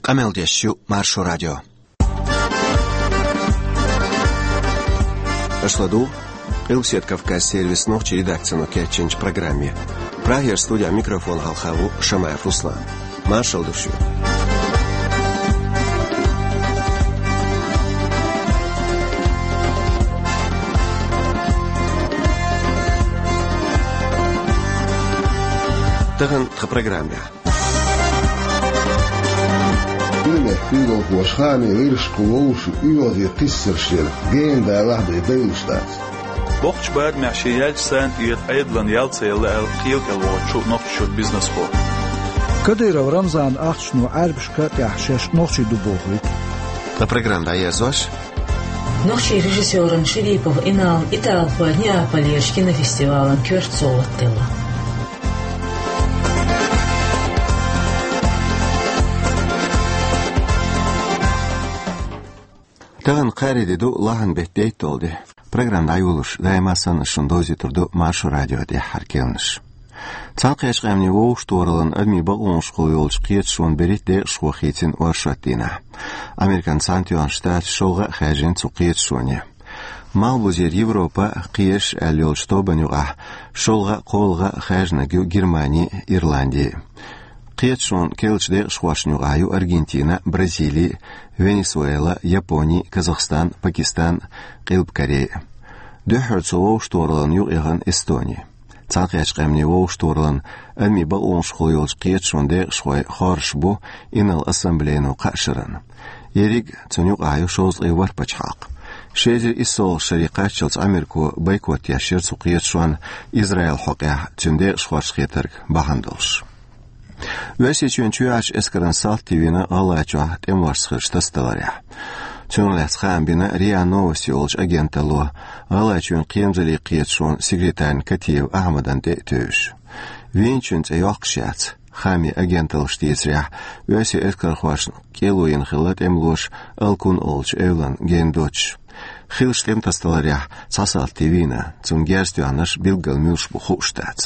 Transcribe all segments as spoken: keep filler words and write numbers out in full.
Къамел деш ю Маршо радио. Аша ладугӀу Къилбаседа Кавказ сервисан нохчийн редакцино кечйинчу программе. Прагера студехь микрофон хьалха ву Шамаев Руслан. Маршалла ду шуьга. Тахана тхан программехь. Уьйранехь куьйгалхоша хаамийн гӀирсашкахула вовшашна оьгӀазе кхиссарш яра, гена далахь а бен, дайлуш дац. Боккхачу барамехь шен яьллачу санна тӀера Ӏедална ял ца елла аьлла, кхело кӀел вахчу нохчашкара бизнесхо. Кадыров Рамзанан ахчано Ӏаьрбашка а тӀехь шаьш нохчий ду бохуьйту. Тхан программа дӀаерзош. Нохчийн режиссёрна Шерипов Инална италхойн Неаполерчу кинофестивалан коьрта совгӀат делла. Тахана кхаарин де ду, лахьан беттан дейтталгӀа де. Программа дӀайолош, даима санна, шуна довзуьйтур ду Маршо радион тӀаьххьара керланаш. Цхьаьнакхеттачу Къаьмнийн Вовшахтохараллан адамийн бакъонашкахула йолчу кхеташонан берхӀитта декъашхо хийцина оршот дийнахь. Американ Цхьаьнатоьхна Штаташ шолгӀа а хаьржина цу кхеташоне. Малхбузера Европа а, кхераш аьлла йолчу тобанна юкъахь шолгӀа а, кхоалгӀа а хаьржинарг ю Германи а, Ирланди а. Кхеташонан керлачу декъашхошна юкъахь ю Аргентина а, Бразили а, Венесуэла а, Япони а, Казахстан а, Пакистан а, Къилба Корей а. Дуьххьара цу вовшахтохараллина юкъаяхана Эстони. Цхьаьнакхеттачу Къаьмнийн Вовшахтохараллин адамийн бакъонашкахула йолчу кхеташонан декъашхой хоржуш бу инарла ассамблейно кхаа шарна. Ерриг а цунна юкъахь ю шовзткъе ворхӀ пачхьалкх. Ши эзар иссолгӀачу шаре кхаччалц Ӏамерко бойкот еш яра цу кхеташонна Израилан хьокъехь, цуьнан декъашхошна хетарг бахьана долуш. Оьрсийчоьнан чоьхьарчу эскаран салти вина ГӀалгӀайчохь тӀемалошца хиллачу тасадаларехь. Цунах лаьцна хаам бина РИА Новости олучу агенталло, ГӀалгӀайчоьнан кхерамзаллин кхеташонан секретарна Катиев Ахьмадна тӀе а тевжаш. Вийначун цӀе йоккхуш яц. Хаамийн агенталлаша дийцарехь, оьрсийн эскархошна кӀело йина хилла тӀемалоша Алкун олучу эвлана гена доцуш. Хиллачу тӀеман тасадаларехь цхьа салти вийна, цунна герз тоьхнарш билггал муьлш бу хууш дац.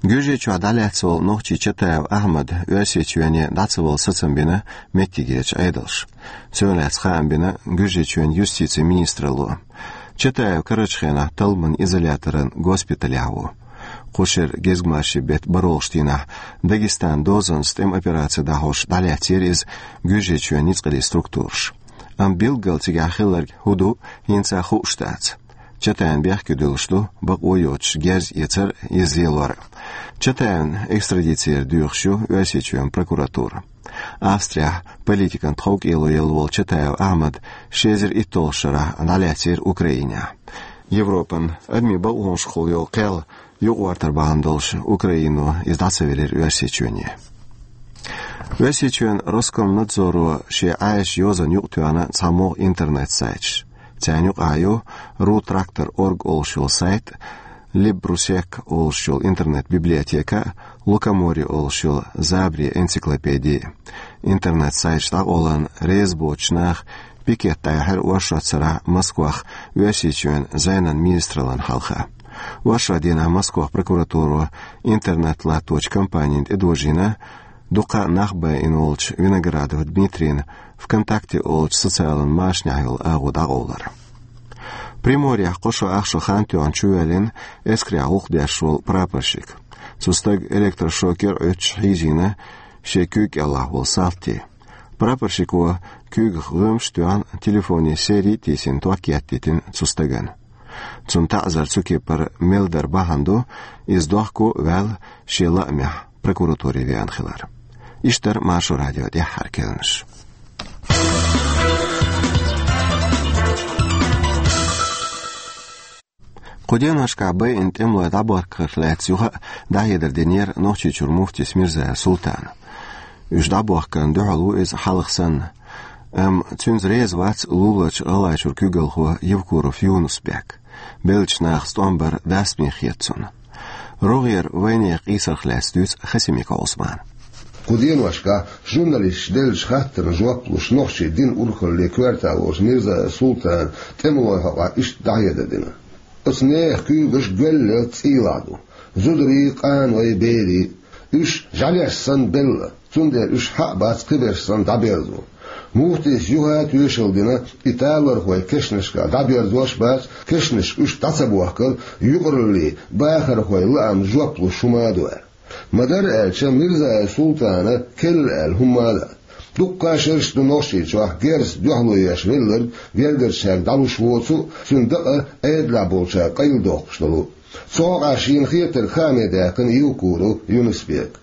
Гуьржийчохь дӀалаьцна волу нохчи Чатаев Ахьмад Оьрсийчоьне дӀа ца вала сацам бина меттигерчу Ӏедалша. Цунах лаьцна хаам бина Гуьржийчоьнан юстицин министралло. Чатаев карарчу хенахь талламан изоляторан госпиталехь ву. Кху шеран гезгмашин беттан бархӀолгӀачу дийнахь Дагестанан дозанца тӀеман операци дӀахьош дӀалаьцнера иза Гуьржийчоьнан ницкъаллин структураша. Амма билггал цигахь хилларг хӀун ду, хӀинца хууш дац. Чатаевна бехке дуьллуш ду бакъо йоцуш герз эцар а, иза лелор а. Чатаевн экстрадици яр доьхуш ю Оьрсийчоьнан прокуратура. Австрехь политикан тховкӀело елла волу Чатаев Ахьмад ши эзар иттолгӀачу шарахь дӀалаьцнера Украинехь. Европан адамийн бакъонашкахула йолу кхел юкъагӀортар бахьана долуш Украино иза дӀа ца велира Оьрсийчоьне. Оьрсийчоьнан Роскомнадзоро шен Ӏаьржачу йозанна юкъатоьхна цхьа могӀа интернет-сайташ. Царна юкъахь ю Ру Трактор орг олуш йолу сайт, Либрусек олуш йолу интернет-библиотека, Лукоморье олуш йолу забарийн энциклопеди. Интернет-сайташ дӀакъовларна реза боцучу наха пикет дӀаяьхьира оршот сарахь Москвахь Оьрсийчоьнан зӀенан министраллина хьалха. Оршотан дийнахь Москвахь прокуратуро интернет латточу компанина тӀедожийна дукха нах байина волчу Виноградов Дмитрийна ВКонтакте олучу социалан машанехь йолу агӀо дӀакъовлар. Приморьехь кхо шо ах шо хан тоьхна чувоьллина эскарехь гӀуллакх деш волу прапорщик. Цу стага электрошокер Ӏуьттуш хьийзийна шен куьйга кӀелахь волу салти. Прапорщико куьйгах гӀоьмаш а тоьхна, телефонан сери а тийсина, ток еттийтина цу стагана. Цунна таӀзар цу кепара мел дар бахьана ду, иза дохко а ваьлла, шен лаамехь прокуратуре веана хилар. Иштта дара Маршо радион тӀаьххьара керланаш. Кху деношкахь байина тӀемалой дӀабохкарх лаьцна юха а дӀахьедар динера Нохчийчуьра муфтис Мирзаев Султана. Уьш дӀабохкарна дуьхьал ву иза хьалха санна. Амма цуьнца реза вац луларчу ГӀалгӀайчуьра куьйгалхо Евкуров Юнус-Бек. Беллачу нахаца тӀом бар дастаме хета цунна. РогӀера вайнехан къийсарх лаьцна дуьйцу Хасимиков Ӏусмана. Кху деношкахь журналисташа деллачу хаттарна жоп луш, нохчийн динан урхаллин коьрта волчу Мирзаев Султана тӀемалойн хьокъехь иштта дӀахьедар дина. Оцу нехан куьйгаш гоьллел цӀийлахь ду. Зударий, къаной, берий. Уьш жӀаьлеш санна белла. цундела уьш хьа а бац кхиберш санна дӀаберзо. Муфтийс юха а тоьшалла дина, и талорхой кешнашкахь дӀаберзош а бац, кешнашка уьш дӀа ца бохкар, юкъараллин бахархойн лаамна жоп луш хӀума а ду аьлла. Ма-дарра аьлча, Мирзаев Султана керла аьлла хӀумма а дац. Дуккха а шераш ду Нохчийчохь герзаца дуьхьало еш велларг гергарчаьрга дӀалуш воцу а, цуьнан дакъа Ӏедалехь болчара къайладоккхуш долу а. Цу хьокъехь шена хетарг хааме даьккхина Евкуров Юнус-Бека.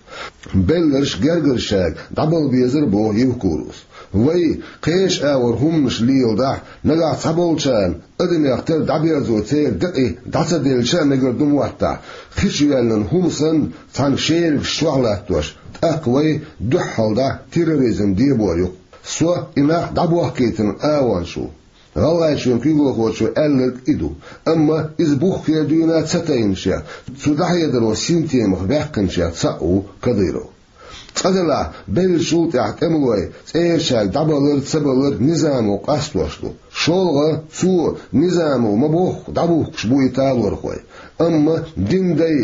Белларш а, гергарчаьрга дӀабала безара, боху Евкуровс. Вай, кхечу агӀор хӀуманаш леладахь, нагахь цхьаболчарна адамех тера дӀаберзо церан декъий дӀа ца делча а мегар ду моттахь, хи чу йоьллина хӀума санна, цхьана шеригаш чохь латтош, тӀаккха вай дуьххьал дӀа терроризм дебор ю-кх. Со и нах дӀабохкийтина агӀончаш ву. ГӀалгӀайчоьнан куьйгалхочо аьлларг и ду, амма иза буххера дуьйна ца тайначех, цу дӀахьедаро синтемах ваьккхинчех цхьаъ ву Кадыров. Цкъа делахь, беллачул тӀаьхьа тӀемалой цӀерачаьрга дӀабалар а, ца балар а низамо къастош ду. ШолгӀа, цо, низамо ма-бохху, дӀабухкуш бу и талорхой. Амма динан дай,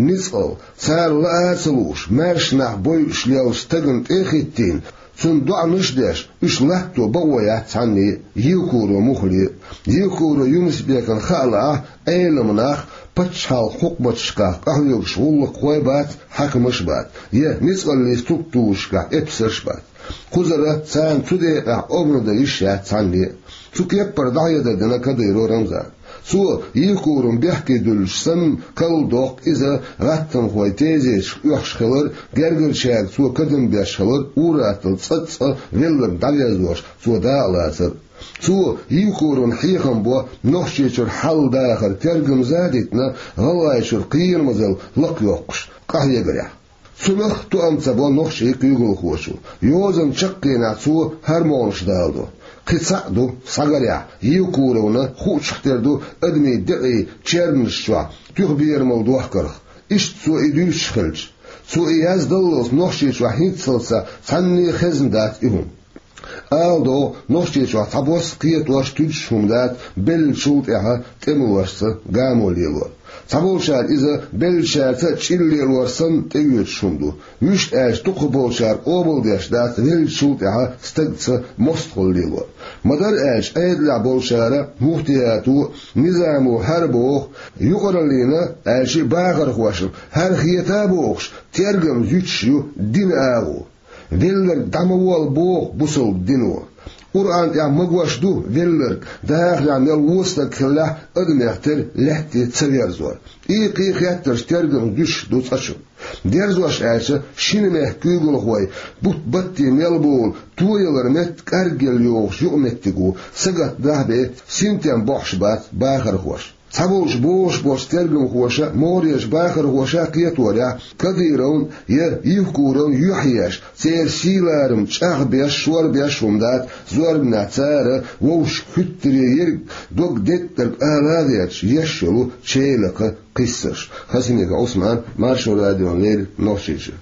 ницкъал, царна лаа а ца лууш, маьрша нах бойуш леллачу стагана тӀе а хӀиттийна, цунна доӀанаш а деш, уьш латто бакъо яц цхьанне а, Евкуров Мухьле а. Евкуров Юнус-Бекана хаа лаахь, Ӏеламнах, пачхьалкхан хьукматашкахь къахьоьгуш гӀуллакххой а бац, хьаькамаш а бац, я ницкъаллин структурашкахь эпсарш а бац. Кхузара царна цу декъехь образ дан йиш яц цхьанне а. Цу кеппара дӀахьедар дина Кадыров Рамзана. Цо, Евкуровна бехке дуьллуш санна, карладоккху иза гӀаттамхойн тезеташка оьхуш хилар, гергарчаьрга цо кадам беш хилар, ур-атталла цкъацкъа велларг дӀаверзош цо дакъа лацар. Цо, Евкуровна хьехам бо Нохчийчуьра хьал-дахар тергамза а дитина, ГӀалгӀайчуьра кхерамазалла лакхайоккхуш къахьегарехь. Цунах тоам ца бо нохчийн куьйгалхочо. Йозанан чаккхенехь цо хӀара могӀанаш даладо. Кхин цхьаъ ду, схьагарехь, Евкуровна хуучух тера ду адамийн декъий черманаш чохь туьха берамал дохкарх. Иштта цо и дуьйцуш хилча, цо и яздаллалц Нохчийчохь хӀинццалц цхьанне а хезна дац и хӀума. Ала догӀу, Нохчийчохь цхьабосса кхетош, туьдуш хӀума дац беллачул тӀаьхьа тӀемалошца гамо лелор. Цхьаболчара иза беллачаьрца а чӀир лелор санна тӀеоьцуш хӀума ду. Вуьшта аьлча, дукхахболчара къобалдеш дац веллачул тӀаьхьа стагца мостагӀалла лелор. Ма-дарра аьлча, Ӏедалехь болчара, муфтиято а, низамо хӀара боху, юкъараллина аьлча а бахархошна хӀара хета а бохуш, тергам зуьтуш ю динан агӀо. Велларг дӀа ма волла боху бусалба дино. Къуръан тӀехь магош ду велларг, дахарехь мел вон стаг хиллехь а, адамех тера лаьтте ца верзор. И кхин хеттарш тергам зуьтуш ду цкъачунна. Дерзош аьлча, шина мехкан куьйгалхой, бутт-батте мел болу тоялар метта кӀаргъелла йогӀуш юкъаметтиг ву, сагатдахь бен, синтем бохьуш бац бахархоша. Цхьаболчу бохуш болчу тергамхоша, могӀарерчу бахархоша кхеторехь, Кадыровн я Евкуровн юьхьъеш, церан сий-ларам чӀагӀбеш, шорбеш хӀума дац, зорбанехь цара вовшашка хӀуьттаре ерг дог деттарг ала а веача, еш йолу чейлакха кхиссарш. Хасимиков Ӏусман, Маршо радиона леррина, Нохчийчуьра.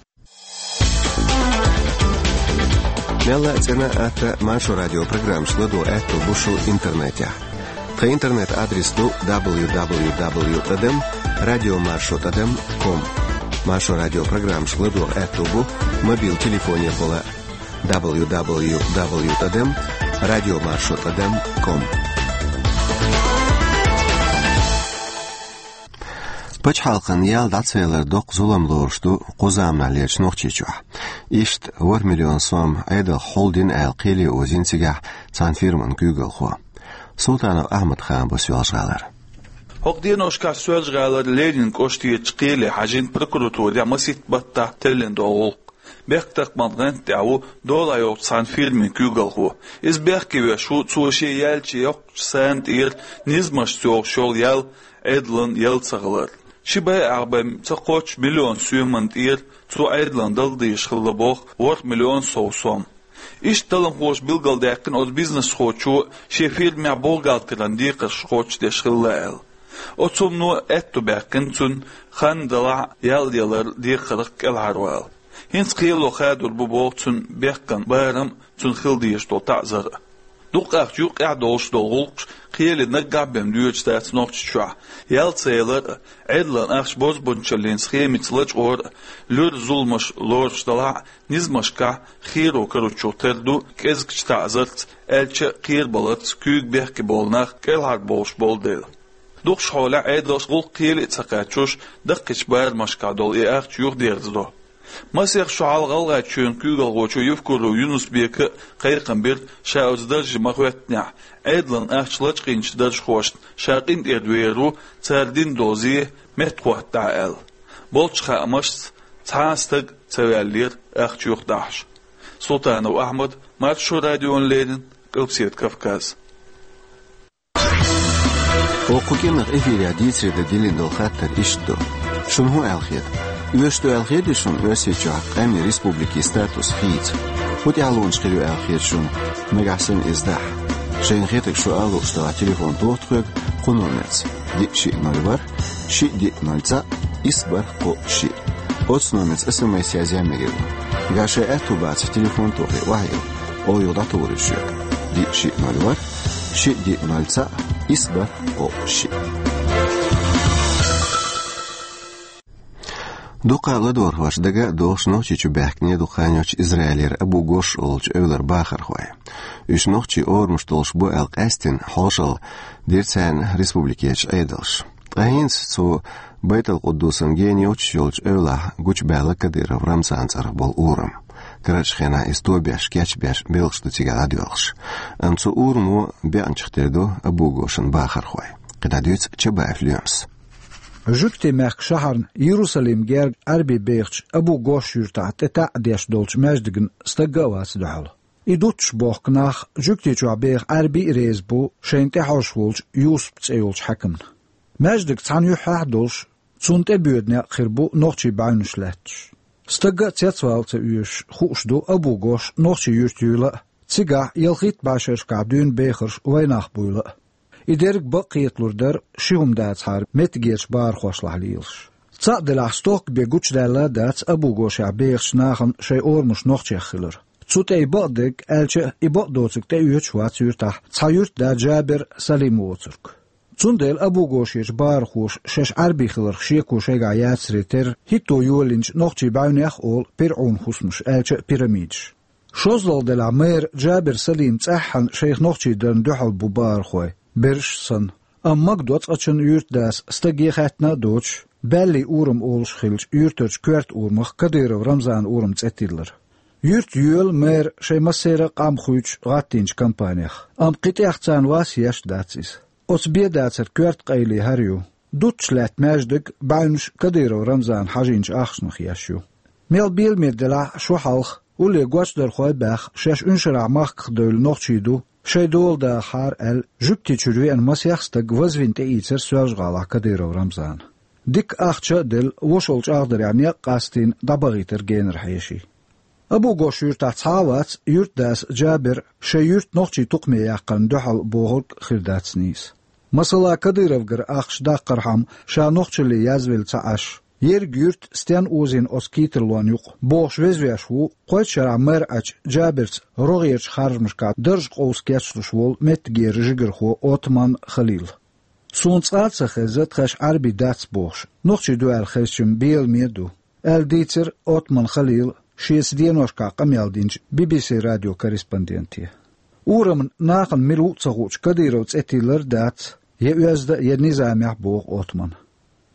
Мелла а цӀена а, атта а Маршо радион программашка ладогӀа аьтто бу шун интернетехь. Тхан интернет-адрес ду дабл ю дабл ю дабл ю тӀадам радио маршо тӀадам ком. Маршо радион программашка ладогӀа аьтто бу мобил телефонехула дабл ю дабл ю дабл ю тӀадам радио маршо тӀадам ком. Пачхьалкхан ял дӀа ца ялар доккха зулам лоруш ду кху заманахьлерчу Нохчийчохь. Иштта ворхӀ миллион сом Ӏедалх хьулдина аьлла, кхеле озийна цигахь цхьана фирман куьйгалхо. Султанов Ахьмад-Хан бу Соьлжа-ГӀалара. ХӀокху деношкахь Соьлжа-ГӀалара Ленин кӀоштарчу кхеле хьаьжна прокуратурехь масийтта баттахь теллина долу гӀуллакх. Бехктакхаман гӀанта тӀехь ву долахь йолчу цхьана фирмин куьйгалхо. Иза бехке веш ву, цо шен яьлча йоккхачу сана тӀера низамашца йогӀуш йолу ял Ӏедална яла ца хилар. Ши бӀе ах бӀе ца кхоччу миллион соьман тӀера цо Ӏедална дала дезаш хилла боху ворхӀ миллион сов сом. Иштта талламхоша билгалдаьккхина оцу бизнесхочо шен фирмехь бухгалтеран декхарш кхочушдеш хилла аьлла. Оцу хӀумано аьтто баьккхина цуьнан хан далахь ял ялар декхарх кӀелхьарвала. ХӀинца кхело хадор бу боху цуьнан бехкан барам а, цунна хила дезаш долу таӀзар а. Дукха ахча юкъехь долуш долу гӀуллакхаш кхеле наггахь бен доьдуш дац Нохчийчохь. Ял ца ялар а, Ӏедалан ахча бозбунчаллин схемица лачкъор а, луьра зуламаш лоруш делахь а, низамашкахь херо каручух тера ду кӀезигчу таӀзарца, аьлча а кхерабаларца куьйга бехке болу нах кӀелхьарбовлуш болу дела. Дукхачу хьолехь Ӏедалш гӀуллакх кхеле а ца кхаччуш, даккхийчу барамашкахь долу и ахча юхадерзадо. Масех шо хьалха ГӀалгӀайчоьнан куьйгалхочо Евкуров Юнус-Бека кхайкхам бира, ша оцу дарже ма-хӀоьттинехь, Ӏедалан ахча лачкъийначу даржхошна ша къинтӀера вер ву, цара дина долу зе меттахӀоттадахь аьлла. Болчу хаамашца, цхьа а стаг ца ваьллера ахча юхадахьаш. Султанов Ахьмад, Маршо радиона леррина, Къилбаседа Кавказ. Оха кху кӀиранах эфирехь дийцаре дан диллина долу хаттар иштта ду. Шуна хӀун аьлла хета? Оьшуш ду аьлла хета шуна Оьрсийчохь къаьмнийн республикин статус хийца? ХӀун тӀаьхьалонаш хир ю аьлла хета шуна, нагахь санна иза дахь? Шайна хетарг шу ала лууш делахь, телефон тоха тхоьга кху номерца: диъ шиъ ноль ворхӀ, шиъ диъ ноль цхьаъ, исс бархӀ кхоъ шиъ. Оцу номерца СМС язъян мегар ду. Нагахь шайн аьтту бацахь, телефон тохий, охьайилла, оха юха дӀатухур ю шуьга: диъ шиъ ноль ворхӀ, шиъ диъ ноль цхьаъ, исс бархӀ кхоъ шиъ. Дукха ладогӀархошна дага а догӀуш, Нохчийчу баьхкина дукха хан йоццуш Израилера Абу-Гош олучу эвлара бахархой. Уьш нохчийн орамаш долуш бу аьлла къаьстина хьошалла дира царна республикерчу Ӏедалша. Ткъа хӀинца цу Байтал-Къуддусан гена йоцуш йолчу эвлахь гучубаьлла Кадыров Рамзанан цӀарах болу урам. Карарчу хенахь иза тобеш, кечбеш, белхаш ду цигахь дӀадоьлхуш. Амма цу урамо бекъначух тера ду Абу-Гошан бахархой. КхидӀа дуьйцу Чабаев Лоьмас. Жуьгтийн мехкан шахьарна Иерусалим герга Ӏаьрбий бехачу Абу-Гош юьртахь тӀе таӀ деш долчу маьждигна стагга а вац дуьхьал. И дуттуш бохку нах, жуьгтичохь беха Ӏаьрбий а реза бу шайна тӀехьожуш волчу Юсуп цӀе йолчу хьаькамна. Маьждиг цхьана юьххьехь а долуш, цунна тӀебоьду некъ хир бу нохчийн бӀаьвнаш лаьтташ. Стагга а цецвала ца оьшуш, хууш ду Абу-Гош нохчийн юьртаюьйла а, цигахь ялхитта бӀешерашкахь дуьйна бехарш вайнах буйла а. И дерг бакъ кхеталур дара, ши хӀума дацахьара меттигерчу бахархошлахь лелаш. Цхьаъ делахь, стохка бен гучудаьлла а дац Абу-Гошехь бехачу нахана шайн орамаш нохчех хилар. Цу тӀе и бакъдерг, аьлча а, и бакъдоцург тӀеоьцуш вац юьртахь цхьа юьртда Джабер Салим воцург. Цундела Абу-Гошерчу бахархоша шаьш Ӏаьрбий хиларх шеко шайгахь яцаре терра, хӀитто йолийначу нохчийн бӀаьвнех а олу пирӀун хӀусамаш, аьлча а пирамидаш. ШозлагӀа делахь, мэр Джабер Салим цӀеххьана шайх нохчий дарна дуьхьал бу бахархой, бераш санна. Амма магадо цкъачунна юьртдас стаге хаьттина а доцуш, Баьллий урам олуш хиллачу юьртарчу коьрта урамах Кадыров Рамзанан урам цӀе тиллар. Юьрта йоьлу мэр шайн массеран а къам хуьйцуш гӀаттийначу кампанех, амма кхин тӀех царна вас еш а дац иза. Оцу бен дацаран коьрта къайле хӀара ю. Дуттуш лаьтта маьждиг, бӀаьвнаш Кадыров Рамзана хьажийначу ахчанах еш ю. Мел беламе делахь а, шо хьалха, улле гочдархой а баьхна, шаьш уьншарахь махках девлла нохчий ду, шайн дола дахахьара аьлла, жуьгтичуьра веана масех стаг вазвина тӀеийцира Соьлжа-ГӀалахь Кадыров Рамзана. Дика ахча а делла, вошалла чӀагӀдарехь некъ а къастийна, дӀабахийтира генара хьеший. Абу-Гош юьртахь цхьа а вац юьртдас Джабер шайн юьрта нохчийн тукхаме яккхарна дуьхьал бохург а хир дац нийса. Масала, Кадыровгара ахча даккхархьама, ша нохчалле язвелла ца Ӏаш, ерриг юьрт стенна озийна оцу кийттарлонна юкъа бохуш везвеш ву кхойтта шарахь мэр Ӏачу Джаберца рогӀерчу харжамашкахь дарж къовса кечлуш волу меттигера жигархо Отман Халил. Суна цкъа а ца хезна тхаьш Ӏаьрбий дац бохуш, нохчий ду аьлла хезча-м беламе а ду, аьлла дийцира Отман Халила шеца деношкахь къамел динчу Би-Би-Си радион корреспонденте. Урамна нахана мила ву а ца хуучу Кадыров цӀе тиллар а дац, я оьзда а, я низамехь, боху Отмана.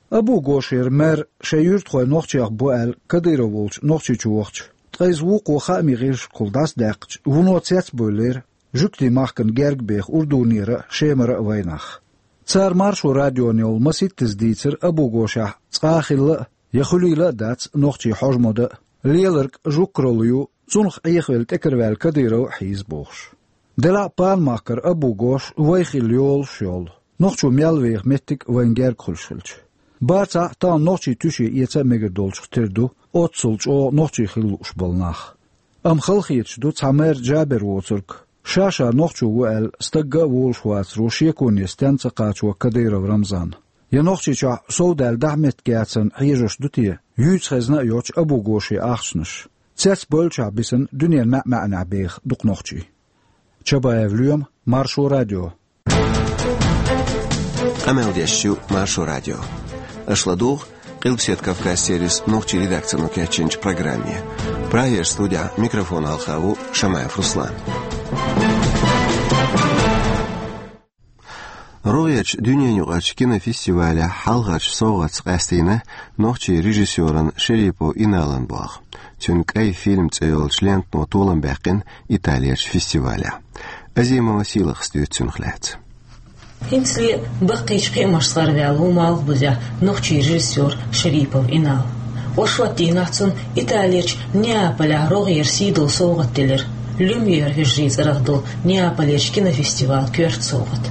Абу-Гошера мэр шайн юьртахой нохчех бу аьлла Кадыров волчу Нохчийчу вахча, ткъа иза вукхо хаамийн гӀирсашкахула дӀасадаьккхича, вуно цецбевллера жуьгтийн махкана герга беха Урдунера а, Шемара а вайнах. Цара Маршо радиона йолу масийттаза дийцира Абу-Гошехь цкъа а хилла а, я хуьлийла а дац нохчийн хьожа-мода а, леларг жугкаралла ю, цунах Ӏехавелла тӀекараваьлла Кадыров а хьийза бохуш. Делахь а пана махкара Абу-Гош вай хилла йолуш йолу, нохчо мел веха меттиг а вайна герга хуьлуш хилча. Бацахь а, тахана нохчийн туьше эца а мегар долчух тера ду оццул чӀогӀа нохчий хила лууш болу нах. Амма халахеташ ду цхьа мэр Джабер воцург, ша-ша нохчо ву аьлла, стагга а волуш вацаро шеконе стенна ца кхачо Кадыров Рамзан. Я Нохчийчохь совдаьлла дахьа меттиг яцарна хьежош ду те, юьйца хезна а йоцчу Абу-Гошин ахчанаш, цецбевллачохь бисина дуьненан маьӀ-маьӀнехь беха дукха нохчий? Чабаев Лоьма, Маршо радио. Къамел деш ю Маршо радио. Аша ладугӀу Къилбаседа Кавказ сервисан нохчийн редакцино кечйинчу программе. Прагера студехь микрофон хьалха ву Шамаев Руслан. РогӀерчу дуьненаюкъарчу кинофестивалехь хьалхарчу совгӀатца къастийна нохчийн режиссеран Шерипов Иналан болх. Цуьнан «КӀай фильм» цӀе йолчу лентано толам баьккхина Италерчу фестивалехь. Азимова Сийлахас дуьйцу цунах лаьцна. ХӀинцале баккхийчу кхиамашца гӀараваьлла ву малхбузехь нохчийн режиссер Шерипов Инал. Оршот дийнахь цунна Италерчу Неаполехь рогӀера сий долу совгӀат делира, Люмьер вежарийн цӀарах долу Неаполерчу кинофестивалан коьрта совгӀат.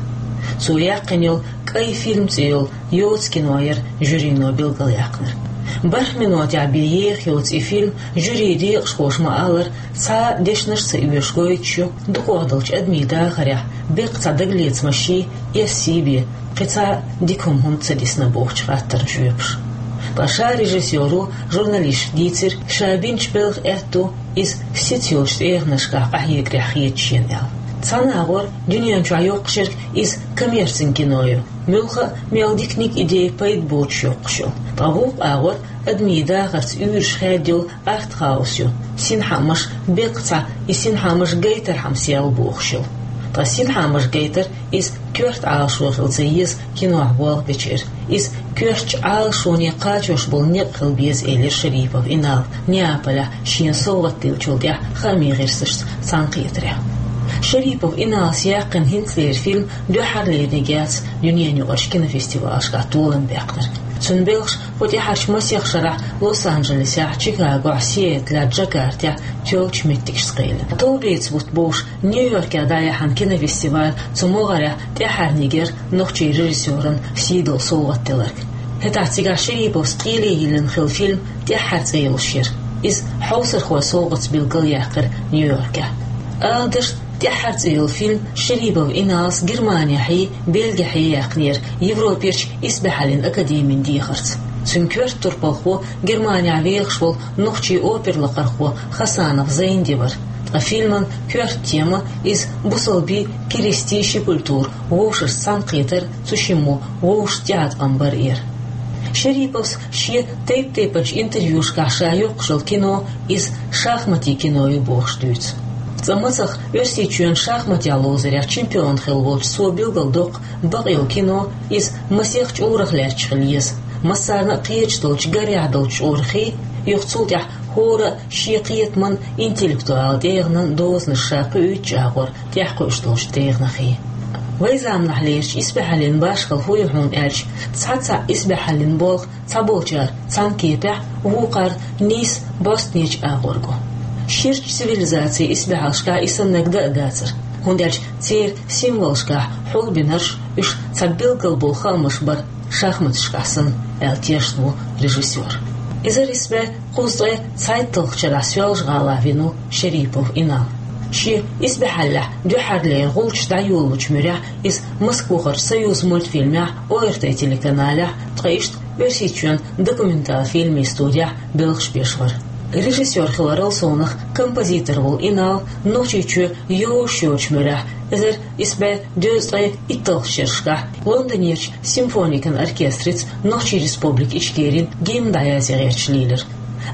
Цо яьккхина йолу «КӀай фильм» цӀе йолу йоцу кино яра жюрино билгалъяьккхинарг. БархӀ минотехь бен еха йоцу и фильм, жюрин декъашхоша ма-аллара, цхьа а дешнаш а ца оьшуш гойтуш ю дукхах долчу адамийн дахарехь беккъа цхьа дагалецамашший, эссий бен, кхин цхьа а дика хӀума хӀунда ца дисна бохучу хаттарна жоьпаш. Ткъа ша режиссеро журналисташка дийцира, ша бинчу белхан аьтто иза сица йолчу тӀегӀанашкахь къахьегарехь хета шена аьлла. Цхьана агӀор дуьнен чохь йоккхуш ерг иза коммерцин кино ю, муьлхха а мел диканиг, идея, пайда боцуш йоккхуш йолу. Ткъа вукху агӀор адамийн дахарца уьйраш хаьдда йолу артхаус ю, синхаамаш беккъа цхьа, и синхаамаш гайтархьама сел бохуш йолу. Ткъа синхаамаш гайтар иза коьрта Ӏалашо хила ца еза кинохь болх бечеран. Иза коьртачу Ӏалашоне кхачош болу некъ хила беза, элира Шерипов Инала Неаполехь шена совгӀат диллинчул тӀаьхьа хаамийн гӀирсашца цхьаьнакхетарехь. Шерипов Иналас яьккхина хӀинцалера фильм дуьххьарлерниг яц дуьненаюкъарчу кинофестивалашкахь толам баьккхинарг. Цуьнан белхаш кху тӀаьхьарчу масех шарахь Лос-Анджелесехь, Чикагохь, Сиэтлехь, Джакартехь тоьллачу меттигашца кхелина. Товбеца бутт бовш Нью-Йоркехь дӀаяьхьна кинофестиваль цу могӀарехь тӀаьххьарниг яра нохчийн режиссеран сий долу совгӀат делларг. ХӀетахь цигахь Шериповс кхеле йиллина хилла фильм тӀаьххьара цӀе йолуш яра. Иза хьовсархойн совгӀатца билгалъяьккхира Нью-Йоркехь. Ала дашна, тӀаьххьара цӀе йолу фильм Шерипов Иналас Германехьий, Бельгехьий яьккхинера Европерчу исбаьхьаллин академин дехарца. Цуьнан коьрта турпалхо Германехь вехаш волу нохчийн опера лакхархо Хасанов Зайнди вара. Ткъа фильман коьрта тема иза бусалбийн, керистийн ши культура вовшашца цхьаьнакхетар, цу шиммо вовшашца тӀеӀаткъам бар яра. Шериповс шен тайп-тайпанчу интервьюшкахь ша йоккхуш йолу кино иза шахматийн кино ю бохуш дуьйцу. Цкъа мацах Оьрсийчоьнан шахматехь ловзарехь чемпион хилла волчу цо билгалдоккху бакъйолу кино иза масех чкъурах лаьтташ хила еза. Массарна а кхеташ долчу гарехь долчу чкъурахий, юха цул тӀаьхьа хӀора а шен кхетаман, интеллектуалан тӀегӀанан дозанаш ша кхуьуьйтучу агӀор тӀаьхьакхуьуш долчу тӀегӀанахий. Вайн заманахьлерчу исбаьхьаллин башхалла хӀун ю хьуна аьлча, цхьа-цхьаъ исбаьхьаллин болх цхьаболчара цхьана кепехь, вукхара нийса бӀостанечу агӀор го. Ширачу цивилизацийн исбаьхьаллашкахь и саннарг дан а дацара, хӀунда аьлча церан символашкахь хьулбинарш, уьш цхьа билггал болу хаамаш бара шахматашкахь санна, аьлла тешна ву режиссёр. Эзар исс бӀе кхузткъе цхьайтталгӀачу шарахь Соьлжа-ГӀалахь вина ву Шерипов Инал. Шен исбаьхьаллехь дуьххьарлера гӀулчаш дӀайолалучу муьрехь иза Москвахарчу Союзмультфильмехь, ОРТ телеканалехь, ткъа иштта Оьрсийчоьнан документал фильмийн студехь белхаш беш вара. Режиссёр хиларал совнах композитор волу Инал Нохчийчоь йовзуш йоцучу муьрехь, эзар исс бӀе дезткъе итталгӀачу шерашкахь, Лондонерчу симфоникан оркестрица Нохчийн Республика Ичкерин гимн дӀаязъян гӀерташ лийлира.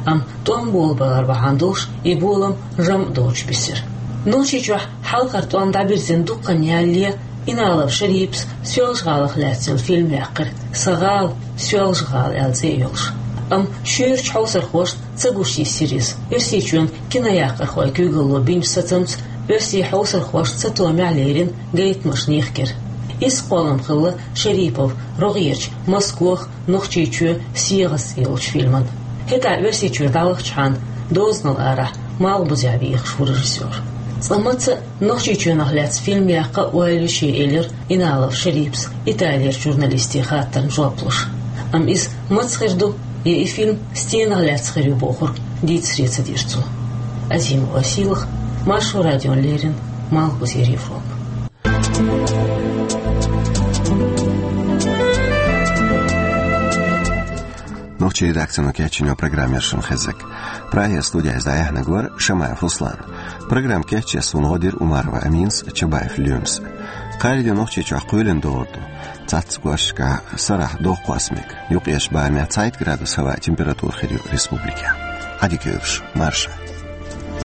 Амма тӀом болабалар бахьана долуш и болам жамӀ доцуш бисира. Нохчийчохь хьалхара тӀом дӀабирзина дуккха хан ялале, Иналов Шериповс Соьлжа-ГӀалах лаьцна йолу фильм яьккхира, «Сан гӀала, Соьлжа-ГӀала» аьлла цӀе йолуш. Амма шуьйрачу хьовсархошна ца гуш йисира иза. Оьрсийчоьнан кинояккхархойн куьйгалло бинчу сацамца оьрсийн хьовсархошна цатомехь лерина гайтамашна йихкира. Изза кхоллам хилла Шерипов рогӀерчу «Москох, Нохчийчоь, СегӀас» цӀе йолчу фильман. ХӀетахь Оьрсийчуьра дӀавахчахьана, дозанал арахь, малхбузехь вехаш ву режиссёр. Цкъа маца а Нохчийчоьнах лаьцна фильм яккха ойла ю шен, элира Иналов Шериповс Италерчу журналистийн хаттарна жоп луш. Амма иза маца хир ду, я и фильм стенах лаьцна хир ю бохург дийцаре ца дира цо. Азимова Сийлаха, Маршо радиона леррина, Малхбузера Европа. Нохчийн редакцино кечйина программа яра шуна хезаг. Прагера студиехь дӀаяьхьнарг вара Шамаев Руслан. Программа кечъеш суна гӀо дира Умарова Аминас, Чабаев Лоьмас. Кхаьрдина Нохчийчохь кхоьлина догӀур ду. Цхьацца кӀошташкахь сарахь дохкъоссамиг, юккъерчу барамехь цхьайтта градус хӀаваан температура хир ю республикехь. Ӏадика йойла шун, марша.